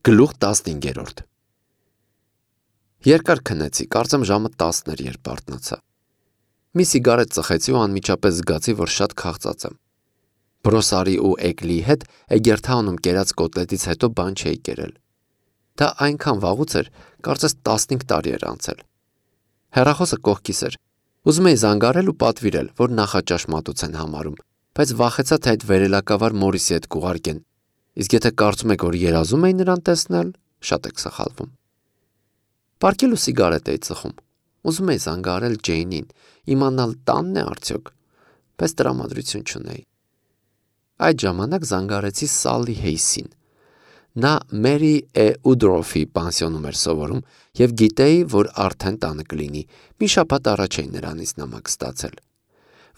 Գլուխ 15 Երկար քնեցի, կարծեմ ժամը 10 էր, երբ արթնացա։ Մի սիգարետ ծխեցի ու անմիջապես զգացի, որ շատ քաղծած եմ։ Բրոսարի ու էգլի հետ Էգերթաունում կերած կոտլետից հետո բան չէի կերել։ Դա այնքան վաղուց էր, կարծես 15 տարի էր անցել։ Հեռախոսը կողքիս էր։ Ուզում էի զանգարել ու պատվիրել, որ նախաճաշ մատուցեն համարում, բայց վախեցա, թե այդ վերելակավար Մորիսի հետ կուղարկեն։ Իսկ եթե կարծում եք, որ երազում էի նրան տեսնել, շատ եք սխալվում։ Պարկել ու սիգարետ էի ծխում։ Ուզում էի զանգարել Ջեյնին, իմանալ տանն է արդյոք, բայց տրամադրություն չունեի։ Այդ ժամանակ զանգարեցի Սալլի Հեյսին։ Նա Մերի Ուդրոֆի պանսիոնում էր սովորում և գիտեի, որ արդեն տանը կլինի, մի շաբաթ առաջ էի նրանից նամակ ստացել։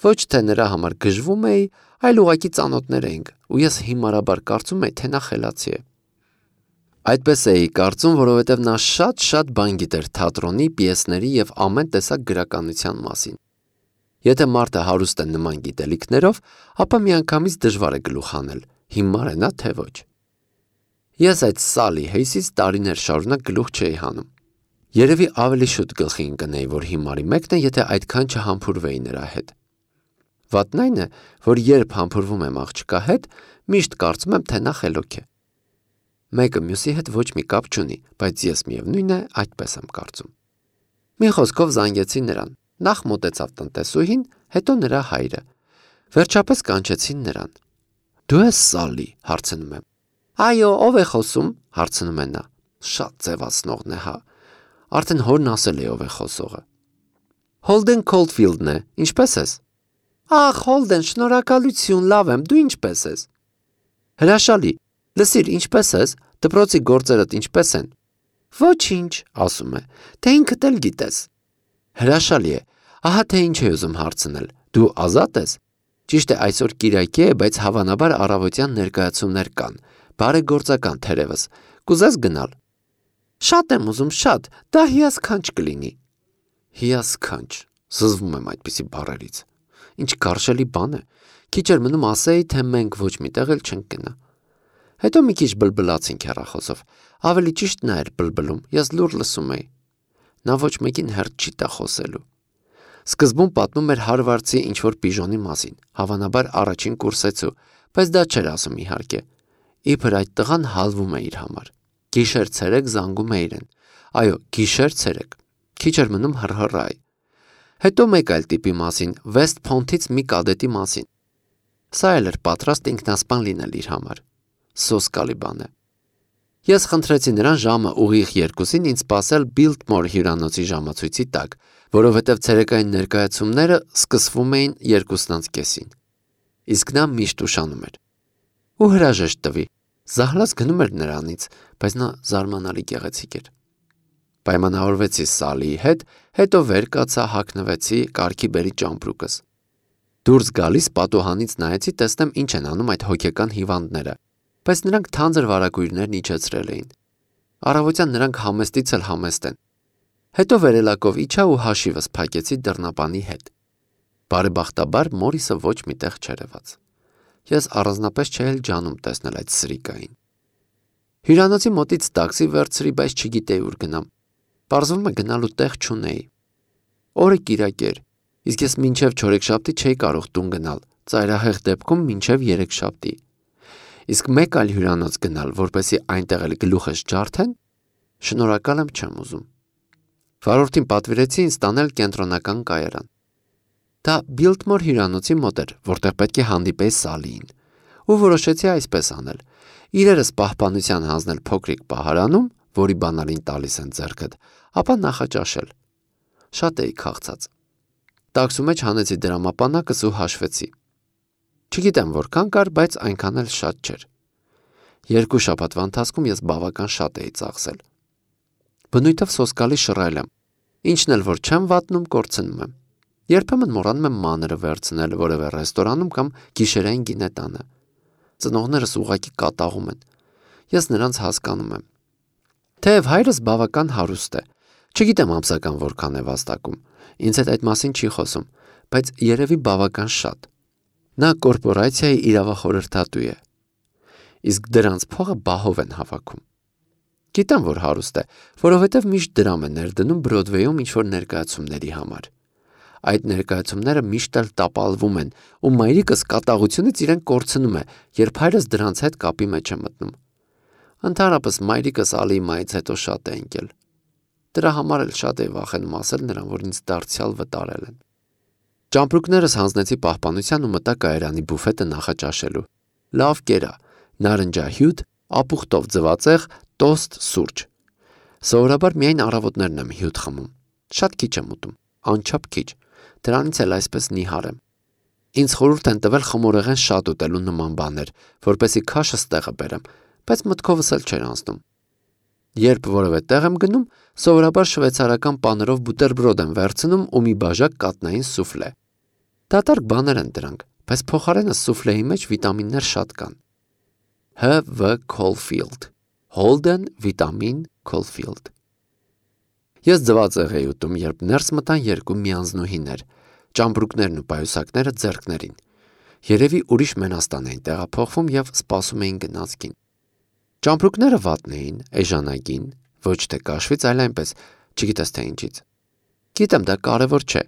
Ոչ թե նրա համար գժվում էի, այլ ուղղակի ծանոթներ էինք, ու ես հիմարաբար կարծում էի, թե նա խելացի է։ Այդպես էի կարծում, որովհետև նա շատ բան գիտեր թատրոնի, պիեսների և ամեն տեսակ գրականության մասին։ Եթե մարդը հարուստ է նման գիտելիքներով, ապա միանգամից դժվար է գլուխ հանել, հիմար է նա, թե ոչ։ Ես այդ Սալլի Հեյսից տարիներ շարունակ գլուխ չէի հանում։ Երևի ավելի շուտ գլխի ընկնեի, որ հիմարի մեկն է, եթե այդքան չհամբուրվեի նրա հետ։ Վատն այն է, որ երբ համբուրվում եմ աղջկա հետ, միշտ կարծում եմ, թե նա խելոք է։ Մեկը մյուսի հետ ոչ մի կապ չունի, բայց ես միևնույն է այդպես եմ կարծում։ Մի խոսքով զանգեցի նրան, նախ մոտեցավ տնտեսուհին, հետո նրա հայրը։ Վերջապես կանչեցին նրան։ Դու ես Սալլի, հարցնում եմ։ Այո, ով է խոսում, հարցնում է նա։ Շատ ձևացնողն է, հա։ Արդեն հորն ասել է ով է խոսողը։ Հոլդեն Քոլդֆիլդն է, ինչպե՞ս ես։ Ախ, Հոլդեն, շնորհակալություն, լավ եմ, դու ինչպե՞ս ես։ Հրաշալի, լսիր, ինչպե՞ս ես, դպրոցի գործերդ ինչպե՞ս են։ Ոչինչ, ասում է, թե ինքդ էլ գիտես։ Հրաշալի է, ահա թե ինչ է ուզում հարցնել, դու ազատ ես։ Ճիշտ է, այսօր կիրակի է, բայց հավանաբար առավոտյան ներկայացումներ կան, բարեգործական թերևս, կուզես գնալ։ Շատ եմ ուզում, շատ, դա հիասքանչ կլինի։ Հիասքանչ, զզվում եմ այդպիսի բառերից։ Ինչ գարշելի բան է, քիչ էր մնում ասեի, թե մենք ոչ միտեղ էլ չենք գնա։ Հետո մի քիչ բլբլացինք հեռախոսով, ավելի ճիշտ նա էր բլբլում, ես լուր լսում էի։ Նա ոչ մեկին հերթ չի տա խոսելու։ Սկզբում պատմում էր Հարվարդցի ինչ-որ պիժոնի մասին, հավանաբար առաջին կուրսեցու, բայց դա չէր ասում իհարկե։ Իբր այդ տղան հալվում է իր համար։ Գիշեր-ցերեկ զանգում է իրեն։ Այո, գիշեր-ցերեկ։ Քիչ էր մնում հռհռայի։ Հետո մեկ այլ տիպի մասին, Վեսթ Փոնթից մի կադետի մասին։ Սա էլ էր պատրաստ ինքնասպան լինել իր համար։ Սոսկալի բան է։ Ես խնդրեցի նրան ժամը ուղիղ 2-ին ինձ սպասել Բիլտմոր հյուրանոցի ժամացույցի տակ, որովհետև ցերեկային ներկայացումները սկսվում էին 2:30-ին։ Իսկ նա միշտ ուշանում էր։ Ու հրաժեշտ տվի։ Զահլաս գնում էր նրանից, բայց նա զարմանալի գեղեցիկ էր։ Պայմանավորվեցի Սալլիի հետ, հետո վեր կացա, հագնվեցի, կարգի բերի ճամպրուկս։ Դուրս գալիս պատուհանից նայեցի, տեսնեմ ինչ են անում այդ հոգեկան հիվանդները, բայց նրանք թանձր վարագույրներն իջեցրել էին։ Առավոտյան նրանք համեստից էլ համեստ են։ Հետո վերելակով իջա ու հաշիվս փակեցի դռնապանի հետ։ Բարեբախտաբար Մորիսը ոչ միտեղ չերևաց։ Ես առանձնապես չէի էլ ջանում տեսնել այդ սրիկային։ Հյուրանոցի մոտից տաքսի վերցրի, բայց չգիտեի ուր գնամ։ Պարզվում է գնալու տեղ չունեի։ Օրը կիրակ էր, իսկ ես մինչև չորեքշաբթի չէի կարող տուն գնալ, ծայրահեղ դեպքում մինչև երեքշաբթի։ Իսկ մեկ այլ հյուրանոց գնալ, որպեսզի այնտեղ էլ գլուխս ջարդեն, շնորհակալ եմ, չեմ ուզում։ Վարորդին պատվիրեցի ինձ տանել կենտրոնական կայարան։ Դա Բիլտմոր հյուրանոցի մոտ էր, որտեղ պետք է հանդիպեի Սալլիին, ու որոշեցի այսպես անել. իրերս պահպանության հանձնել փոքրիկ պահարանում, որի բանալին տալիս են ձեռքդ, ապա նախաճաշել։ Շատ էի քաղցած։ Տաքսու մեջ հանեցի դրամապանակս ու հաշվեցի։ Չգիտեմ որքան կար, բայց այնքան էլ շատ չէր։ 2 շաբաթվա ընթացքում ես բավական շատ էի ծախսել։ Բնույթով սոսկալի շռայլ եմ, ինչն էլ որ չեմ վատնում, կորցնում եմ։ Երբեմն մոռանում եմ մանրը վերցնել որևէ ռեստորանում կամ գիշերային գինետանը։ Ծնողներս ուղղակի կատաղում են։ Ես նրանց հասկանում եմ։ Թեև հայրս բավական հարուստ է, չգիտեմ ամսական որքան է վաստակում, ինձ հետ այդ մասին չի խոսում, բայց երևի բավական շատ։ Նա կորպորացիայի իրավախորհրդատու է։ Իսկ դրանց փողը բահով են հավաքում։ Գիտեմ, որ հարուստ է, որովհետև միշտ դրամ է ներդնում Բրոդվեյում ինչ-որ ներկայացումների համար։ Այդ ներկայացումները միշտ էլ տապալվում են, ու մայրիկս կատաղությունից իրեն կորցնում է, երբ հայրս դրանց հետ կապի մեջ է մտնում։ Ընդհանրապես մայրիկս Ալիմայից հետո շատ է ընկել։ Դրա համար էլ շատ է վախենում ասել նրան, որ ինձ դարձյալ վտարել են։ Ճամպրուկներս հանձնեցի պահպանության ու մտա կայարանի բուֆետը նախաճաշելու։ Լավ կերա, նարնջահյութ, ապուխտով ձվածեղ, տոստ, սուրճ։ Սովորաբար միայն առավոտներն եմ հյութ խմում։ Շատ քիչ եմ ուտում, անչափ քիչ։ Դրանից էլ այսպես նիհար եմ։ Ինձ խորհուրդ են տվել խմորեղեն շատ ուտելու նման բաներ, որպեսզի քաշս տեղը բերեմ, բայց մտքովս էլ չէր անցնում։ Երբ որևէ տեղ եմ գնում, սովորաբար շվեյցարական պաներով բուտերբրոդ եմ վերցնում ու մի բաժակ կատնային սուֆլե։ Դատարկ բաներ են դրանք, բայց փոխարենը սուֆլեի մեջ վիտամիններ շատ կան։ H.V. Caulfield Holden Vitamin Caulfield։ Ես ձվածեղ էի ուտում, երբ ներս մտան երկու միանձնուհիներ, ճամպրուկներն ու պայուսակները ձեռքներին։ Երևի ուրիշ Մենաստան էին տեղափոխվում և սպասում էին գնացքին։ Ճամպրուկները վատն էին, էժանագին, ոչ թե կաշվից, այլ այնպես, չգիտես թե ինչից։ Գիտեմ, դա կարևոր չէ,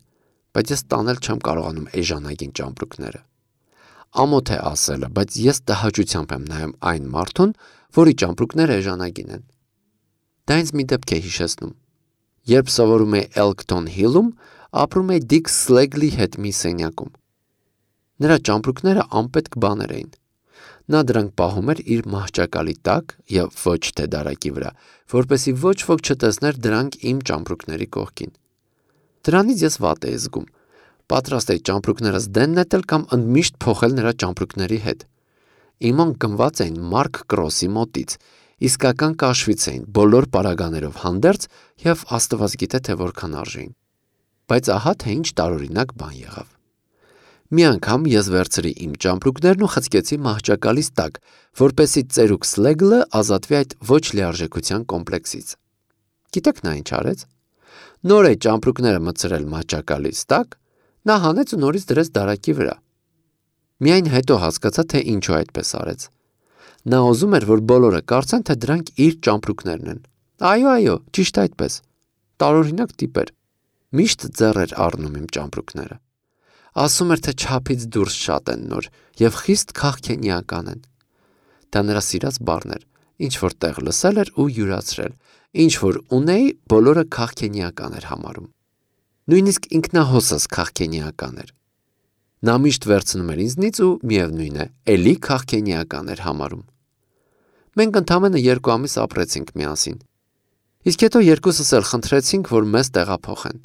բայց ես տանել չեմ կարողանում էժանագին ճամպրուկները։ Ամոթ է ասելը, բայց ես տհաճությամբ եմ նայում այն մարդուն, որի ճամպրուկները էժանագին են։ Դա ինձ մի դեպք է հիշեցնում։ Երբ սովորում էի Elkton Hill-ում, ապրում էի Dick Slagley հետ մի սենյակում։ Նրա ճամպրուկները անպետք բաներ էին։ Նա դրանք պահում էր իր մահճակալի տակ և ոչ թե դարակի վրա, որպեսզի ոչ ոք չտեսներ դրանք իմ ճամպրուկների կողքին։ Դրանից ես վատ էի զգում։ Պատրաստ էի ճամպրուկներս դեն նետել կամ ընդմիշտ փոխել նրա ճամպրուկների հետ։ Իման գնված էին Մարկ Կրոսի մոտից, իսկական կաշվից էին, բոլոր պարագաներով հանդերձ և Աստված գիտե թե որքան արժեին։ Բայց ահա թե ինչ տարօրինակ բան եղավ։ Մի անգամ ես վերցրի իմ ճամպրուկներն ու խցկեցի մահճակալիս տակ, որպեսզի ծերուկ Սլեգլը ազատվի այդ ոչ լիարժեքության կոմպլեքսից։ Գիտեք նա ինչ արեց։ Նոր է ճամպրուկները մտցրել մահճակալիս տակ, նա հանեց ու նորից դրեց դարակի վրա։ Միայն հետո հասկացա, թե ինչու այդպես արեց։ Նա ուզում էր, որ բոլորը կարծեն, թե դրանք իր ճամպրուկներն են։ Այո, ճիշտ այդպես։ Տարօրինակ տիպ էր։ Միշտ ձեռ էր առնում իմ ճամպրուկները։ Ասում էր, թե չափից դուրս շատ են նոր և խիստ քաղքենիական են։ Դա նրա սիրած բառն էր, ինչ որ տեղ լսել էր ու յուրացրել, ինչ որ ունեի, բոլորը քաղքենիական էր համարում։ Նույնիսկ ինքնահոսս քաղքենիական էր։ Նա միշտ վերցնում էր ինձնից ու միևնույն է, էլի քաղքենիական էր համարում։ Մենք ընդամենը 2 ամիս ապրեցինք միասին։ Իսկ հետո երկուսս էլ խնդրեցինք, որ մեզ տեղափոխեն։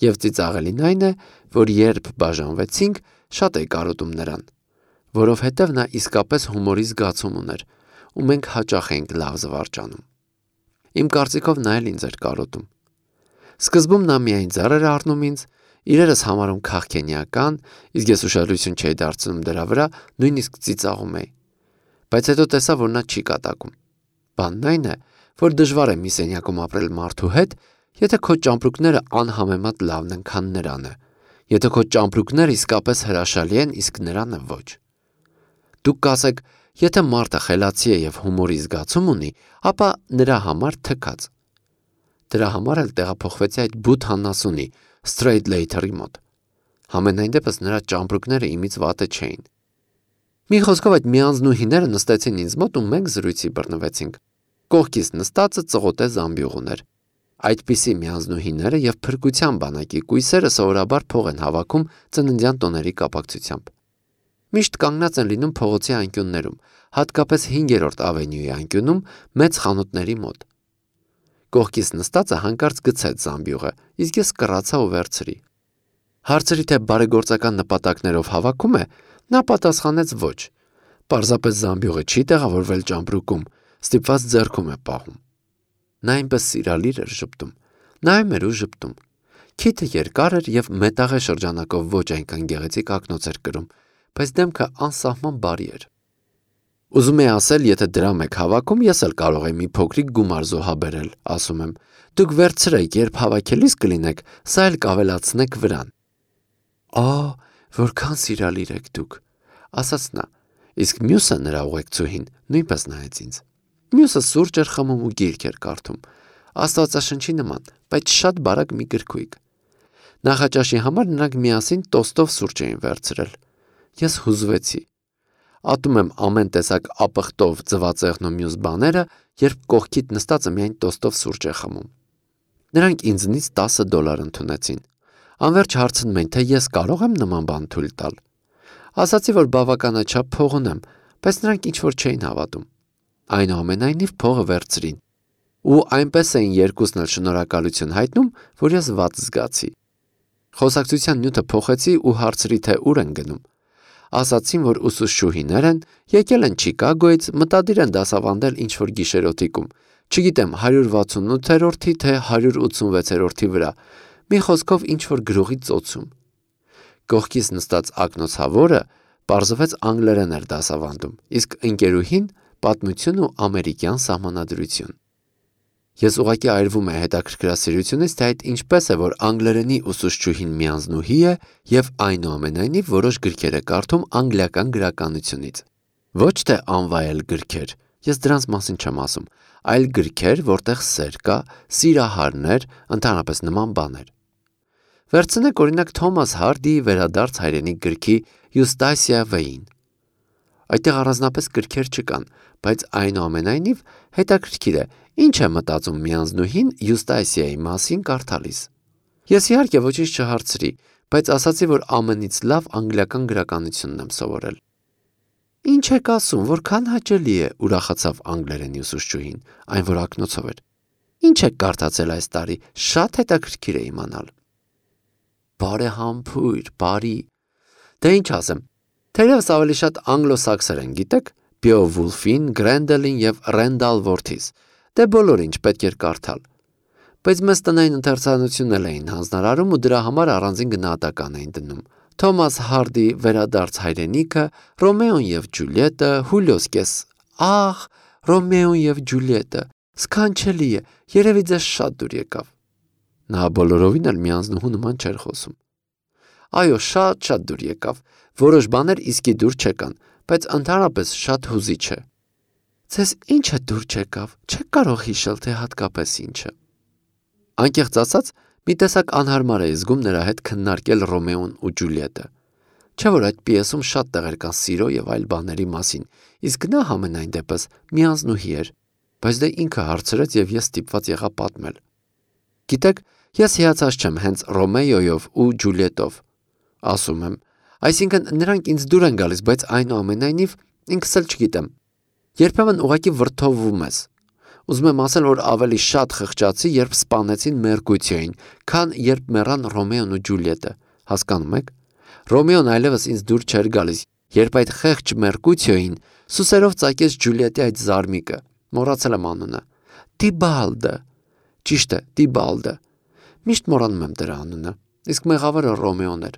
Եվ ծիծաղելին այն է, որ երբ բաժանվեցինք, շատ էի կարոտում նրան, որովհետև նա իսկապես հումորի զգացում ուներ, ու մենք հաճախ էինք լավ զվարճանում։ Իմ կարծիքով նա էլ ինձ էր կարոտում։ Սկզբում նա միայն ձեռ էր առնում ինձ, իրերս համարում քաղքենիական, իսկ ես ուշադրություն չէի դարձնում դրա վրա, նույնիսկ ծիծաղում էի։ Բայց հետո տեսա, որ նա չի կատակում։ Բանն այն է, որ դժվար է մի սենյակում ապրել մարդու հետ, եթե քո ճամպրուկները անհամեմատ լավն են, քան նրանը, եթե քո ճամպրուկները իսկապես հրաշալի են, իսկ նրանը ոչ։ Դուք կասեք, եթե մարդը խելացի է և հումորի զգացում ունի, ապա նրա համար թքած։ Դրա համար էլ տեղափոխվեցի այդ բութ հաննասունի, Straight-Later-ի մոտ։ Համենայն դեպս նրա ճամպրուկները իմից վատը չէին։ Մի խոսքով այդ միանձնուհիները նստեցին ինձ մոտ ու մենք զրույցի բռնվեցինք։ Կողքից նստածը ծղոտե զամբյուղն էր։ Այդպիսի միանձնուհիները և փրկության բանակի կույսերը սովորաբար փող են հավաքում ծննդյան տոների կապակցությամբ։ Միշտ կանգնած են լինում փողոցի անկյուններում, հատկապես 5-րդ ավենյուի անկյունում մեծ խանութների մոտ։ Կողքից նստածը հանկարծ գցեց զամբյուղը, իսկ ես կռացա ու վերցրի։ Հարցրի, թե բարեգործական նպատակներով հավաքում է, նա պատասխանեց ոչ։ Պարզապես զամբյուղը չի տեղավորվել ճամպրուկում, ստիպված ձեռքում է պահում։ Նա այնպես սիրալիր էր ժպտում, նայում էր ու ժպտում։ Քիթը երկար էր և մետաղե շրջանակով ոչ այնքան գեղեցիկ ակնոց էր կրում, բայց դեմքը անսահման բարի էր։ Ուզում էի ասել, եթե դրամ եք հավաքում, ես էլ կարող եմ մի փոքրիկ գումար զոհաբերել, ասում եմ։ Դուք վերցրեք, երբ հավաքելիս կլինեք, սա էլ կավելացնեք վրան։ Որքան սիրալիր եք դուք, ասաց նա, իսկ մյուսը նրա ուղեկցուհին նույնպես նայեց ինձ։ Մյուսը սուրճ էր խմում ու գիրք էր կարդում։ Աստվածաշնչի նման, բայց շատ բարակ մի գրքույկ։ Նախաճաշի համար նրանք միասին տոստով սուրճ էին վերցրել։ Ես հուզվեցի։ Ատում եմ ամեն տեսակ ապխտով ձվածեղն ու մյուս բաները, երբ կողքիդ նստածը միայն տոստով սուրճ է խմում։ Նրանք ինձնից $10 ընդունեցին։ Անverջ հարցնում են, թե ես կարող եմ նման բան թույլ տալ։ Ասացի, որ բավականաչափ փող ունեմ, բայց նրանք ինչ-որ չէին հավատում։ Այնուամենայնիվ փողը վերցրին։ Ու այնպես էին երկուսն էլ շնորհակալություն հայտնում, որ ես վատ զգացի։ Խոսակցության նյութը փոխեցի ու հարցրի, թե ուր են գնում։ Ասացին, որ ուսուցչուհիներ են, եկել են Չիկագոյից, մտադիր են դասավանդել ինչ-որ գիշերօթիկում, չգիտեմ 168-րդի թե 186-րդի վրա, մի խոսքով ինչ-որ գրողի ծոցում։ Կողքից նստած ակնոցավորը պարզվեց անգլերեն էր դասավանդում, իսկ ընկերուհին պատմություն ու ամերիկյան սահմանադրություն։ Ես ուղղակի այրվում է հետաքրքրասիրությունից, թե այդ ինչպես է, որ անգլերենի ուսուցչուհին միանձնուհի է և այնուամենայնիվ որոշ գրքեր է կարդում անգլիական գրականությունից։ Ոչ թե անվայել գրքեր, ես դրանց մասին չեմ ասում, այլ գրքեր, որտեղ սեր կա, սիրահարներ, ընդհանրապես նման բաներ։ Վերցնեք օրինակ Թոմաս Հարդիի վերադարձ հայրենիք գրքի Յուստասիա Վեին։ Այդտեղ առանձնապես գրքեր չկան, բայց այնուամենայնիվ հետաքրքիր է, ինչ է մտածում միանձնուհին Յուստասիայի մասին կարդալիս։ Ես իհարկե ոչինչ չհարցրի, բայց ասացի, որ ամենից լավ անգլիական գրականությունն եմ սովորել։ Ինչ եք ասում, որքան հաճելի է, ուրախացավ անգլերենի ուսուցչուհին, այն որ ակնոցով էր։ Ինչ եք կարդացել այս տարի, շատ հետաքրքիր է իմանալ։ Բարեհամբույր, բարի։ Դե ինչ ասեմ, թերևս ավելի շատ անգլոսաքսեր են, գիտեք, Բեովուլֆին, Գրենդելին և Ռենդալ Որթիս, դե բոլոր ինչ պետք էր կարդալ։ Բայց մեզ տնային ընթերցանությունն էլ էին հանձնարարում ու դրա համար առանձին գնահատական էին դնում։ Թոմաս Հարդի վերադարձ հայրենիքը, Ռոմեոն և Ջուլիետը, Հուլիոս Կես, ահ, Ռոմեոն և Ջուլիետը, սքանչելի է, երևի ձեզ շատ դուր եկավ։ Նա բոլորովին էլ միանձնուհու նման չէր խոսում։ Այո, շատ դուր եկավ, որոշ բաներ իսկի դուր չեկան, բայց ընդհանրապես շատ հուզիչ է։ Ձեզ ինչ է դուր չեկավ, չեք կարող հիշել, թե հատկապես ինչը։ Անկեղծ ասած, մի տեսակ անհարմար էի զգում նրա հետ քննարկել Ռոմեոն ու Ջուլիետը։ Չէ՞ որ այդ պիեսում շատ տեղեր կան սիրո և այլ բաների մասին, իսկ նա համենայն դեպս միանձնուհի էր, բայց դե ինքը հարցրեց և ես ստիպված եղա պատմել։ Գիտեք, ես հիացած չեմ հենց Ռոմեոյով ու Ջուլիետով, ասում եմ, այսինքն նրանք ինձ դուր են գալիս, բայց այնուամենայնիվ ինքս էլ չգիտեմ։ Երբեմն ուղղակի վրդովվում ես։ Ուզում եմ ասել, որ ավելի շատ խղճացի, երբ սպանեցին Մերկուտիոյին, քան երբ մեռան Ռոմեոն ու Ջուլիետը, հասկանում եք։ Ռոմեոն այլևս ինձ դուր չէր գալիս, երբ այդ խեղճ Մերկուտիոյին սուսերով ծակեց Ջուլիետի այդ զարմիկը, մոռացել եմ անունը, Տիբալդը, ճիշտ է, Տիբալդը, միշտ մոռանում եմ դրա անունը, իսկ մեղավորը Ռոմեոն էր։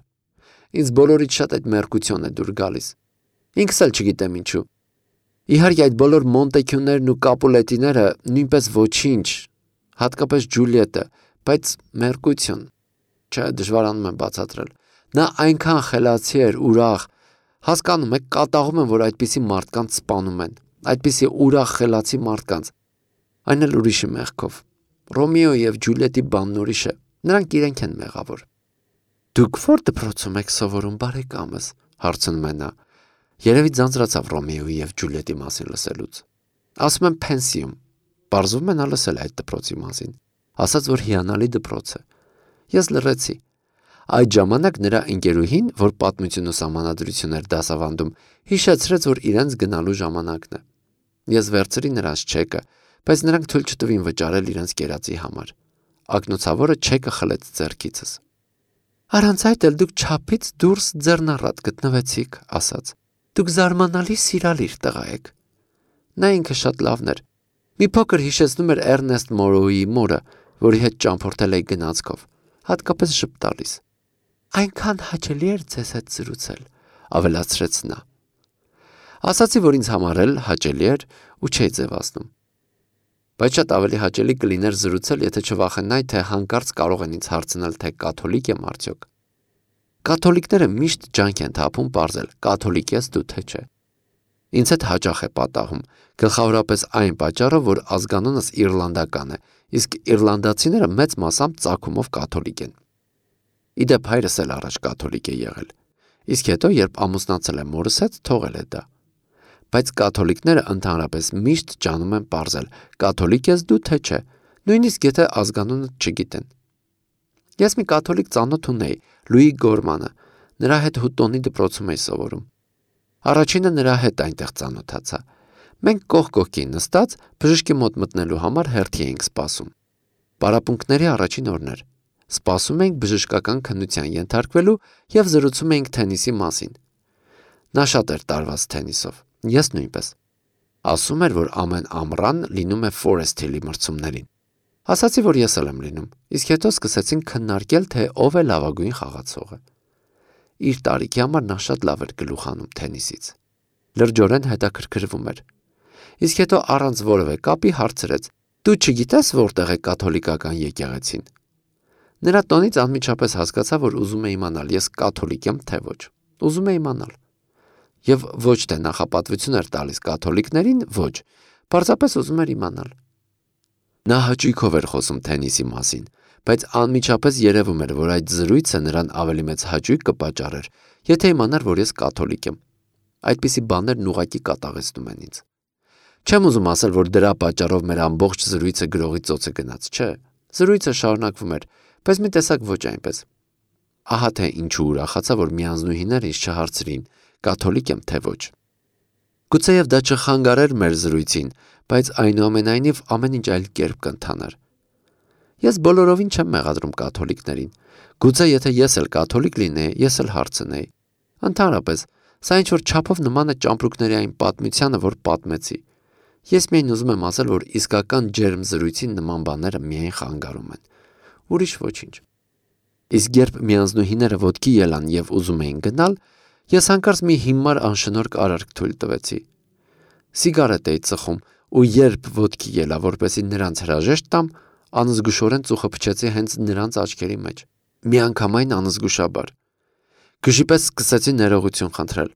Ինձ բոլորից շատ այդ Մերկուտիոն է դուր գալիս։ Ինքս էլ չգիտեմ ինչու։ Իհարկե այդ բոլոր Մոնտեքյուներն ու Կապուլետիները նույնպես ոչինչ, հատկապես Ջուլիետը, բայց Մերկուտիոն, չէ, դժվարանում եմ բացատրել։ Նա այնքան խելացի էր, ուրախ, հասկանում եք, կատաղում եմ, որ այդպիսի մարդկանց սպանում են, այդպիսի ուրախ խելացի մարդկանց, այն էլ ուրիշի մեղքով։ Ռոմեոյի և Ջուլիետի բանն ուրիշ է, նրանք իրենք են մեղավոր։ Դուք ո՞ր դպրոցում եք սովորում, բարեկամս, հարցնում է նա։ Երևի ձանձրացավ Ռոմեոյի և Ջուլիետի մասին լսելուց։ Ասում եմ Փենսիում, պարզվում է նա լսել այդ դպրոցի մասին, ասաց, որ հիանալի դպրոց է։ Ես լռեցի։ Այդ ժամանակ նրա ընկերուհին, որ պատմություն ու սահմանադրություն էր դասավանդում, հիշեցրեց, որ իրենց գնալու ժամանակն է։ Ես վերցրի նրանց չեկը, բայց նրանք թույլ չտվին վճարել իրենց կերածի համար։ Ակնոցավորը չեկը խլեց ձեռքիցս։ Առանց այդ էլ դուք չափից դուրս ձեռնառատ գտնվեցիք, ասաց։ Դուք զարմանալի սիրալիր տղա եք։ Նա ինքը շատ լավն էր։ Մի փոքր հիշեցնում էր Էրնեստ Մորոուի մորը, որի հետ ճամփորդել էի գնացքով, հատկապես ժպտալիս։ Այնքան հաճելի էր ձեզ հետ զրուցել, ավելացրեց նա։ Ասացի, որ ինձ համար էլ հաճելի էր ու չէի ձևացնում։ Բայց շատ ավելի հաճելի կլիներ զրուցել, եթե չվախենայի, թե հանկարծ կարող են ինձ հարցնել, թե կաթոլիկ եմ արդյոք։ Կաթոլիկները միշտ ջանք են թափում պարզել, կաթոլիկ ես դու թե չէ։ Ինձ հետ հաճախ է պատահում, գլխավորապես այն պատճառով, որ ազգանունս իռլանդական է, իսկ իռլանդացիները մեծ մասամբ ծագումով կաթոլիկ են։ Իդեպ հայրս էլ առաջ կաթոլիկ է եղել, իսկ հետո, երբ ամուսնացել է մորս հետ, թողել է դա։ Բայց կաթոլիկները ընդհանրապես միշտ ջանում են պարզել, կաթոլիկ ես դու թե չէ, նույնիսկ եթե ազգանունը չգիտեն։ Ես մի կաթոլիկ ծանոթ ունեի, Լուի Գորմանը, նրա հետ Հուտոնի դպրոցում էի սովորում։ Առաջինը նրա հետ այնտեղ ծանոթացա։ Մենք կողք կողքի նստած բժշկի մոտ մտնելու համար հերթի էինք սպասում։ Պարապմունքների առաջին օրն էր։ Սպասում էինք բժշկական քննության ենթարկվելու և զրուցում էինք թենիսի մասին։ Նա շատ էր տարված թենիսով, ես նույնպես։ Ասում էր, որ ամեն ամռան լինում է Forest Hill-ի մրցումներին։ Ասացի, որ ես էլ եմ լինում, իսկ հետո սկսեցինք քննարկել, թե ով է լավագույն խաղացողը։ Իր տարիքի համար նա շատ լավ էր գլուխ հանում թենիսից։ Լրջորեն հետաքրքրվում էր։ Իսկ հետո առանց որևէ կապի հարցրեց. «Դու չգիտես որտեղ է կաթոլիկական եկեղեցին»։ Նրա տոնից անմիջապես հասկացա, որ ուզում է իմանալ, ես կաթոլիկ եմ, թե ոչ։ Ուզում է իմանալ։ Եվ ոչ թե նախապատվություն էր տալիս կաթոլիկներին, ոչ, պարզապես ուզում էր իմանալ։ Նա հաճույքով էր խոսում թենիսի մասին, բայց անմիջապես երևում էր, որ այդ զրույցը նրան ավելի մեծ հաճույք կպատճառեր, եթե իմանար, որ ես կաթոլիկ եմ։ Այդպիսի բաներն ուղղակի կատաղեցնում են ինձ։ Չեմ ուզում ասել, որ դրա պատճառով մեր ամբողջ զրույցը գրողի ծոցը գնաց, չէ։ Զրույցը շարունակվում էր, բայց մի տեսակ ոչ այնպես։ Ահա թե ինչու ուրախացա, որ միանձնուհիները ինձ չհարցրին, կաթոլիկ եմ թե ոչ։ Գուցեև դա չխանգարեր մեր զրույցին, բայց այնուամենայնիվ ամեն ինչ այլ կերպ կընթանար։ Ես բոլորովին չեմ մեղադրում կաթոլիկներին։ Գուցե եթե ես էլ կաթոլիկ լինեի, ես էլ հարցնեի։ Ընդհանրապես, սա ինչ-որ չափով նման է ճամպրուկների այն պատմությանը, որ պատմեցի։ Ես միայն ուզում եմ ասել, որ իսկական ջերմ զրույցին նման բաները միայն խանգարում են։ Ուրիշ ոչինչ։ Իսկ երբ միանձնուհիները ոտքի ելան և ուզում էին գնալ, ես հանկարծ մի հիմար անշնորհք արարք թույլ տվեցի։ Սիգարետ էի ծխում ու երբ ոտքի ելա, որպեսզի նրանց հրաժեշտ տամ, անզգուշորեն ծուխը փչեցի հենց նրանց աչքերի մեջ։ Միանգամայն անզգուշաբար։ Գժի պես սկսեցի ներողություն խնդրել,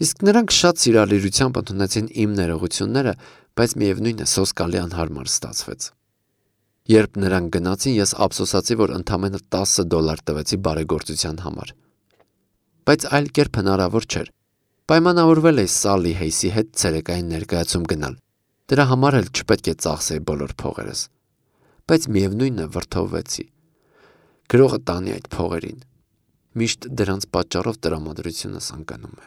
իսկ նրանք շատ սիրալիրությամբ ընդունեցին իմ ներողությունները, բայց միևնույն է սոսկալի անհարմար ստացվեց։ Երբ նրանք գնացին, ես ափսոսացի, որ ընդամենը $10 տվեցի բարեգործության համար։ Բայց այլ կերպ հնարավոր չէր։ Պայմանավորվել էի Սալլի Հեյսի հետ ցերեկային ներկայացում գնալ։ Դրա համար էլ չպետք է ծախսեի բոլոր փողերս։ Բայց միևնույնն է վրդովվեցի։ Գրողը տանի այդ փողերին։ Միշտ դրանց պատճառով տրամադրությունս անկանում է։